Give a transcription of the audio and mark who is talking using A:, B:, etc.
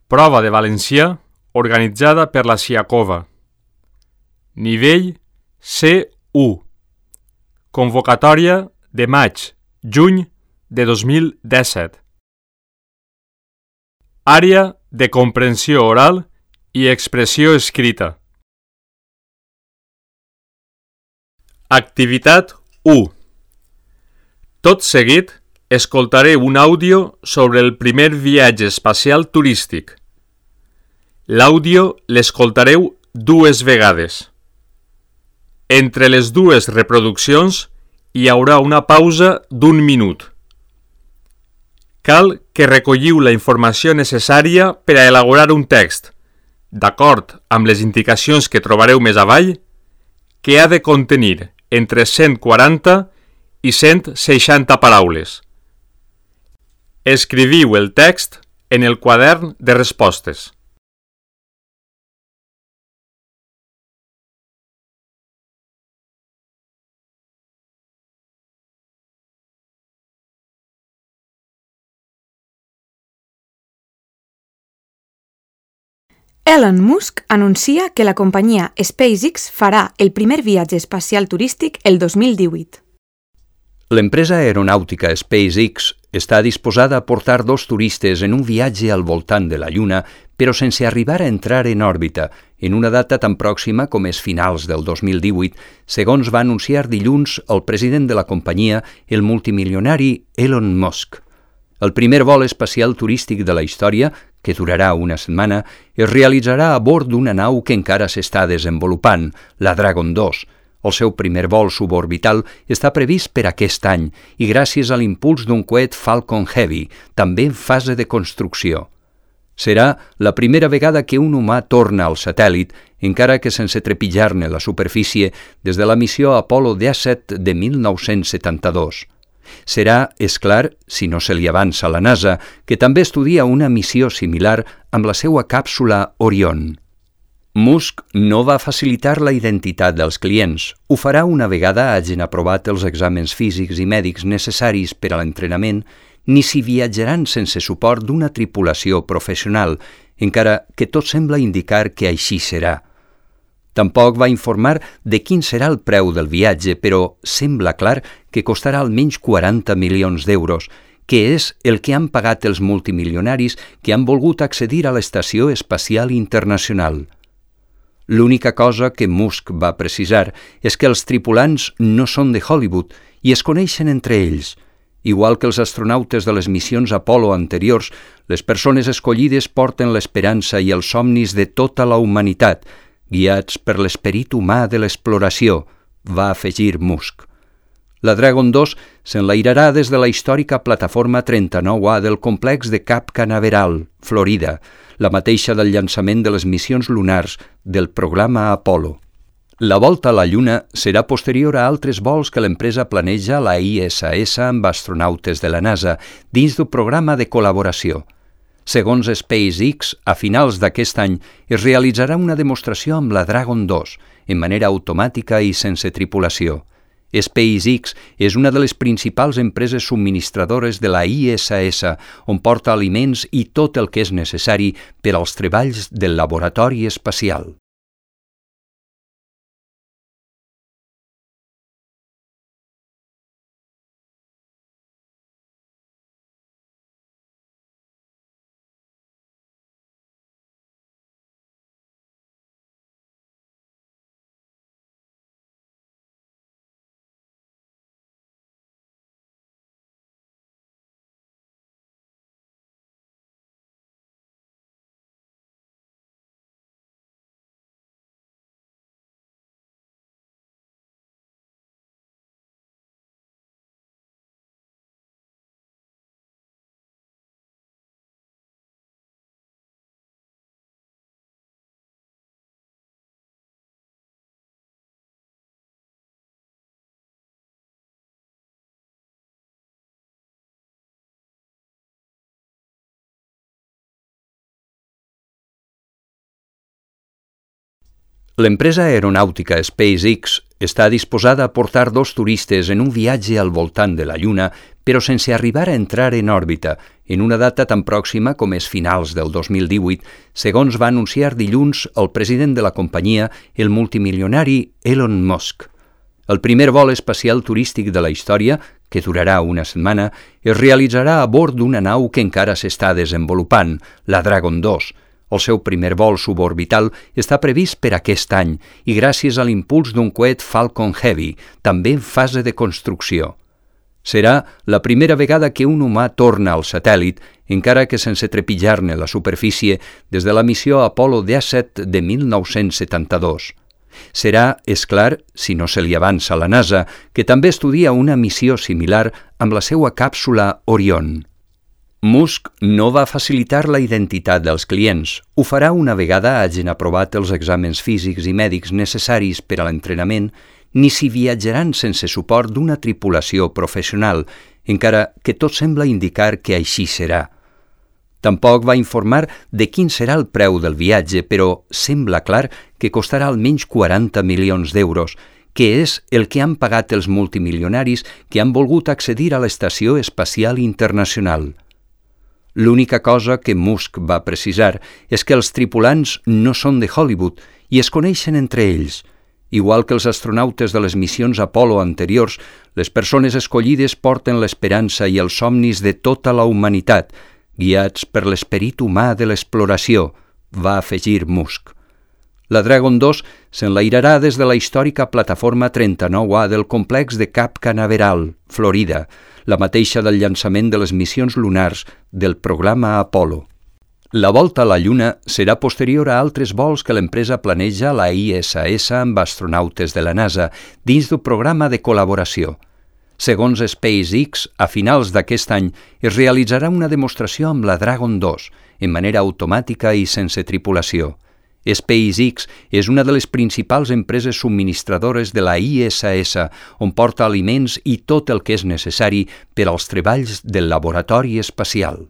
A: Prova de valencià organitzada per la Siacova. Nivell C1. Convocatòria de maig-juny de 2017. Àrea de comprensió oral i expressió escrita. Activitat 1. Tot seguit, escoltaré un àudio sobre el primer viatge espacial turístic. L'àudio l'escoltareu 2 vegades. Entre les 2 reproduccions hi haurà una pausa d'1 minut. Cal que recolliu la informació necessària per a elaborar un text, d'acord amb les indicacions que trobareu més avall, que ha de contenir entre 140 i 160 paraules. Escriviu el text en el quadern de respostes.
B: Elon Musk anuncia que la companyia SpaceX farà el primer viatge espacial turístic el 2018.
C: L'empresa aeronàutica SpaceX està disposada a portar 2 turistes en un viatge al voltant de la Lluna, però sense arribar a entrar en òrbita, en una data tan pròxima com és finals del 2018, segons va anunciar dilluns el president de la companyia, el multimilionari Elon Musk. El primer vol espacial turístic de la història, que durarà una setmana, es realitzarà a bord d'una nau que encara s'està desenvolupant, la Dragon 2. El seu primer vol suborbital està previst per aquest any i gràcies a l'impuls d'un coet Falcon Heavy, també en fase de construcció. Serà la primera vegada que un humà torna al satèl·lit, encara que sense trepitjar-ne la superfície des de la missió Apollo 17 de 1972. Serà, és clar, si no se li avança a la NASA, que també estudia una missió similar amb la seva càpsula Orion. Musk no va facilitar la identitat dels clients. Ho farà una vegada hagin aprovat els exàmens físics i mèdics necessaris per a l'entrenament, ni si viatjaran sense suport d'una tripulació professional, encara que tot sembla indicar que així serà. Tampoc va informar de quin serà el preu del viatge, però sembla clar que costarà almenys 40 milions d'euros, que és el que han pagat els multimilionaris que han volgut accedir a l'Estació Espacial Internacional. L'única cosa que Musk va precisar és que els tripulants no són de Hollywood i es coneixen entre ells. Igual que els astronautes de les missions Apollo anteriors, les persones escollides porten l'esperança i els somnis de tota la humanitat, guiats per l'esperit humà de l'exploració, va afegir Musk. La Dragon 2 s'enlairarà des de la històrica plataforma 39A del complex de Cap Canaveral, Florida, la mateixa del llançament de les missions lunars del programa Apollo. La volta a la Lluna serà posterior a altres vols que l'empresa planeja a la ISS amb astronautes de la NASA dins d'un programa de col·laboració. Segons SpaceX, a finals d'aquest any es realitzarà una demostració amb la Dragon 2, en manera automàtica i sense tripulació. SpaceX és una de les principals empreses subministradores de la ISS, on porta aliments i tot el que és necessari per als treballs del laboratori espacial. L'empresa aeronàutica SpaceX està disposada a portar 2 turistes en un viatge al voltant de la Lluna, però sense arribar a entrar en òrbita, en una data tan pròxima com és finals del 2018, segons va anunciar dilluns el president de la companyia, el multimilionari Elon Musk. El primer vol espacial turístic de la història, que durarà una setmana, es realitzarà a bord d'una nau que encara s'està desenvolupant, la Dragon 2. El seu primer vol suborbital està previst per aquest any i gràcies a l'impuls d'un coet Falcon Heavy, també en fase de construcció. Serà la primera vegada que un humà torna al satèl·lit, encara que sense trepitjar-ne la superfície des de la missió Apollo 17 de 1972. Serà, és clar, si no se li avança a la NASA, que també estudia una missió similar amb la seva càpsula Orion. Musk no va facilitar la identitat dels clients. Ho farà una vegada hagin aprovat els exàmens físics i mèdics necessaris per a l'entrenament, ni si viatjaran sense suport d'una tripulació professional, encara que tot sembla indicar que així serà. Tampoc va informar de quin serà el preu del viatge, però sembla clar que costarà almenys 40 milions d'euros, que és el que han pagat els multimilionaris que han volgut accedir a l'Estació Espacial Internacional. L'única cosa que Musk va precisar és que els tripulants no són de Hollywood i es coneixen entre ells. Igual que els astronautes de les missions Apollo anteriors, les persones escollides porten l'esperança i els somnis de tota la humanitat, guiats per l'esperit humà de l'exploració, va afegir Musk. La Dragon 2 s'enlairarà des de la històrica plataforma 39A del complex de Cap Canaveral, Florida, la mateixa del llançament de les missions lunars del programa Apollo. La volta a la Lluna serà posterior a altres vols que l'empresa planeja a la ISS amb astronautes de la NASA dins d'un programa de col·laboració. Segons SpaceX, a finals d'aquest any es realitzarà una demostració amb la Dragon 2, en manera automàtica i sense tripulació. SpaceX és una de les principals empreses subministradores de la ISS, on porta aliments i tot el que és necessari per als treballs del laboratori espacial.